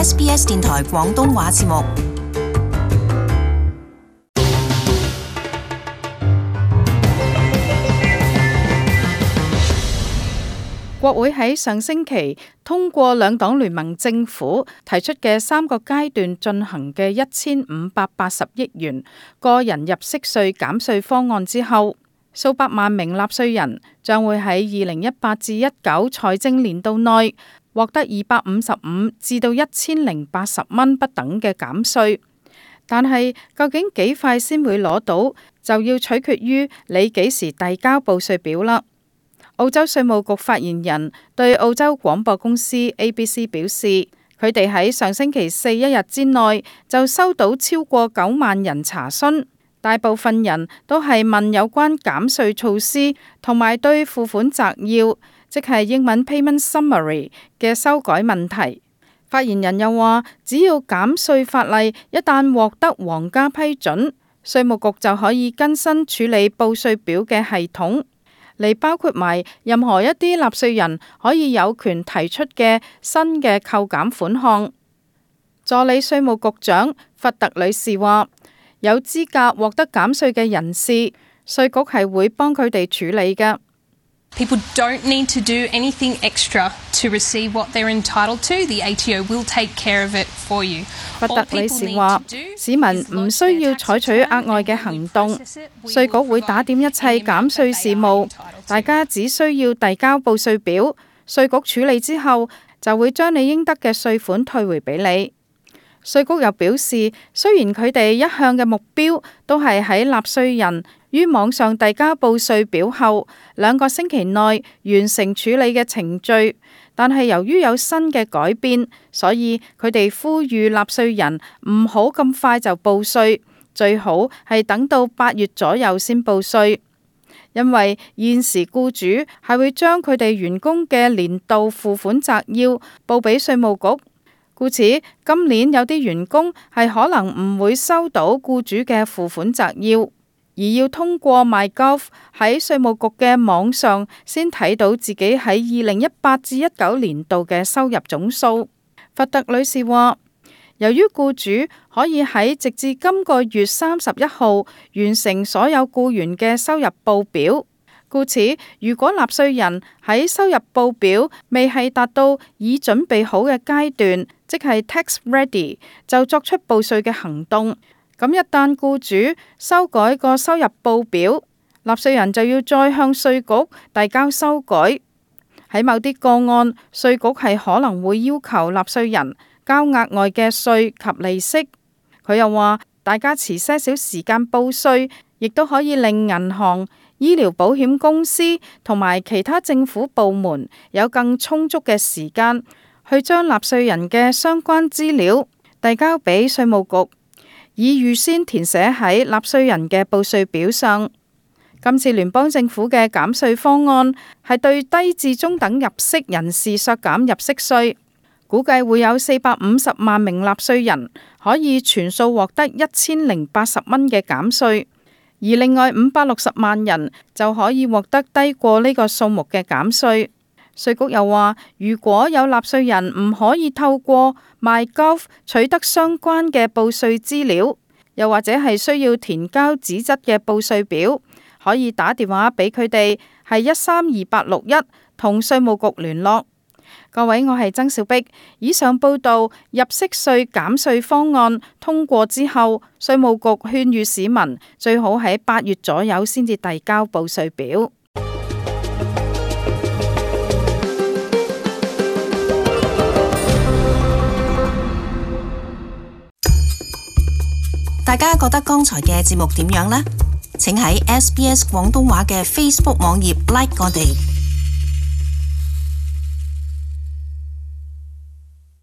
SBS 電台廣東話節目。國會喺上星期通過兩黨聯盟政府提出嘅3個階段進行嘅1580億元個人入息稅減稅方案之後，數百萬名納稅人將會喺2018至19財政年度內獲得255至到1080蚊不等嘅減稅。但係究竟幾快先會攞到，就要取決於你幾時遞交報稅表啦。澳洲稅務局發言人對澳洲廣播公司 ABC 表示，佢哋喺上星期四一日之內就收到超過9萬人查詢，大部分人都係問有關減稅措施同埋對付款摘要，即係英文 Payment Summary 嘅修改問題。發言人又話，只要減稅法例一旦獲得皇家批准，稅務局就可以更新處理報稅表嘅系統，嚟包括埋任何一啲納稅人可以有權提出嘅新嘅扣減款項。助理稅務局長弗特女士話，有資格獲得減稅嘅人士，稅局係會幫佢哋處理嘅。People don't need to do anything extra to receive what they're entitled to. The ATO will take care of it for you. 弗特女士話，市民唔需要採取額外嘅行動，稅局會打點一切減稅事務，大家只需要遞交報稅表，稅局處理之後就會將你應得嘅稅款退回俾你。稅局又表示，雖然佢哋一向嘅目標都係喺納稅人於網上遞交報稅表後2個星期內完成處理嘅程序，但係由於有新嘅改變，所以佢哋呼籲納稅人唔好咁快就報稅，最好係等到8月左右先報稅，因為現時僱主係會將佢哋員工嘅年度付款摘要報俾稅務局。故此，今年有啲員工係可能唔會收到僱主嘅付款摘要，而要通過 MyGov 喺稅務局嘅網上先睇到自己喺2018至19年度嘅收入總數。弗特女士話，由於僱主可以喺直至今個月31號完成所有僱員嘅收入報表，故此如果納稅人喺收入報表未係達到已準備好嘅階段，即係 tax ready， 就作出報稅嘅行動。咁一旦僱主修改個收入報表，納稅人就要再向稅局遞交修改。喺某啲個案，稅局係可能會要求納稅人交額外嘅稅及利息。佢又話，大家遲些少時間報稅，亦都可以令銀行、醫療保險公司同埋其他政府部門有更充足嘅時間去將納稅人嘅相關資料遞交俾稅務局，以預先填寫喺納稅人嘅報稅表上。今次聯邦政府嘅減稅方案係對低至中等入息人士削減入息稅，估計會有450萬名納稅人可以全數獲得1080蚊嘅減稅，而另外560萬人就可以獲得低過呢個數目嘅減稅。稅局又話，如果有納稅人唔可以透過 MyGov 取得相關嘅報稅資料，又或者係需要填交紙質嘅報稅表，可以打電話俾佢哋，係132861同稅務局聯絡。各位，我係曾小碧。以上報道入息稅減稅方案通過之後，稅務局勸喻市民最好喺8月左右先至遞交報稅表。大家覺得剛才嘅節目點樣呢？請喺 SBS 廣東話嘅 Facebook 網頁 like 我哋。